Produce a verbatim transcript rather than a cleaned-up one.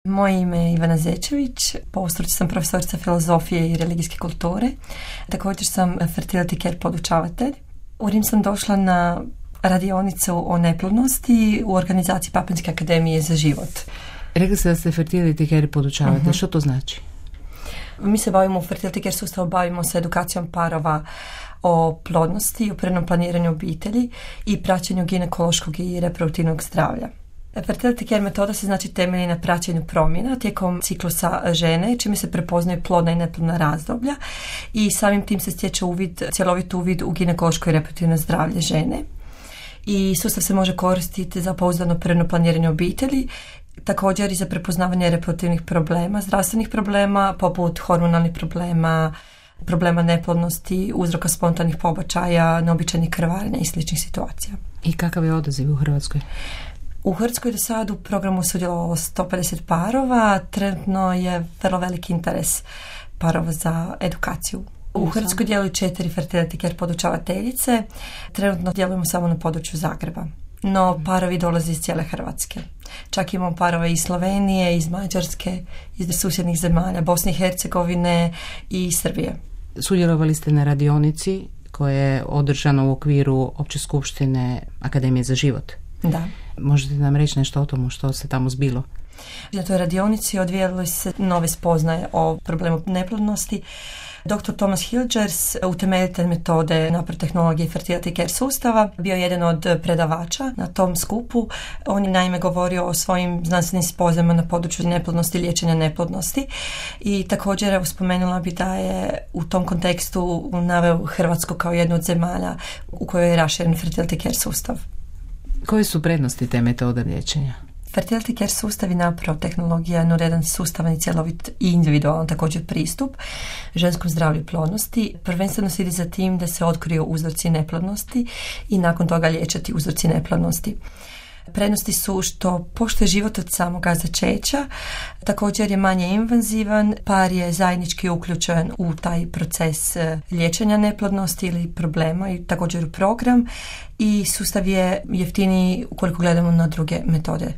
Moje ime je Ivana Zečević, po struci sam profesorica filozofije i religijske kulture. Također sam fertility care podučavatelj. U Rim sam došla na radionicu o neplodnosti u organizaciji Papinske akademije za život. Rekli ste da ste fertility care podučavatelj. Uh-huh. Što to znači? Mi se bavimo u fertility care sustavu, bavimo se edukacijom parova o plodnosti, o prirodnom planiranju obitelji i praćenju ginekološkog i reproduktivnog zdravlja. Fertility care metoda se znači temelji na praćenju promjena tijekom ciklusa žene, čime se prepoznaju plodna i neplodna razdoblja i samim tim se stječe uvid, cjelovit uvid u ginekološko i reproduktivno zdravlje žene. I sustav se može koristiti za pouzdano prirodno planiranje obitelji, također i za prepoznavanje reproduktivnih problema, zdravstvenih problema poput hormonalnih problema, problema neplodnosti, uzroka spontanih pobačaja, neobičajnih krvarenja i sličnih situacija. I kakav je odaziv u Hrvatskoj? U Hrvatskoj do sad u programu sudjelovalo sto pedeset parova, trenutno je vrlo veliki interes parova za edukaciju. U Hrvatskoj djeluju četiri fertility care podučavateljice, trenutno djelujemo samo na području Zagreba, no parovi dolaze iz cijele Hrvatske. Čak imamo parove iz Slovenije, iz Mađarske, iz susjednih zemalja, Bosne i Hercegovine i Srbije. Sudjelovali ste na radionici koja je održana u okviru Opće skupštine Akademije za život. Da. Možete nam reći nešto o tomu što se tamo zbilo? Na toj radionici odvijale se nove spoznaje o problemu neplodnosti. doktor Thomas Hilgers, utemeljitelj metode napred tehnologije i fertility care sustava, bio jedan od predavača na tom skupu. On je naime govorio o svojim znanstvenim spoznajama na području neplodnosti i liječenja neplodnosti i također evo, spomenula bi da je u tom kontekstu naveo Hrvatsku kao jednu od zemalja u kojoj je raširen fertility care sustav. Koje su prednosti te metode liječenja? Fertility care sustav i napravo tehnologija je jedan sustavan i cjelovit i individualan također pristup ženskom zdravlju i plodnosti. Prvenstveno se ide za tim da se otkriju uzroci neplodnosti i nakon toga liječati uzroci neplodnosti. Prednosti su što poštuje život od samoga začeća, također je manje invazivan, par je zajednički uključen u taj proces liječenja neplodnosti ili problema i također u program i sustav je jeftiniji ukoliko gledamo na druge metode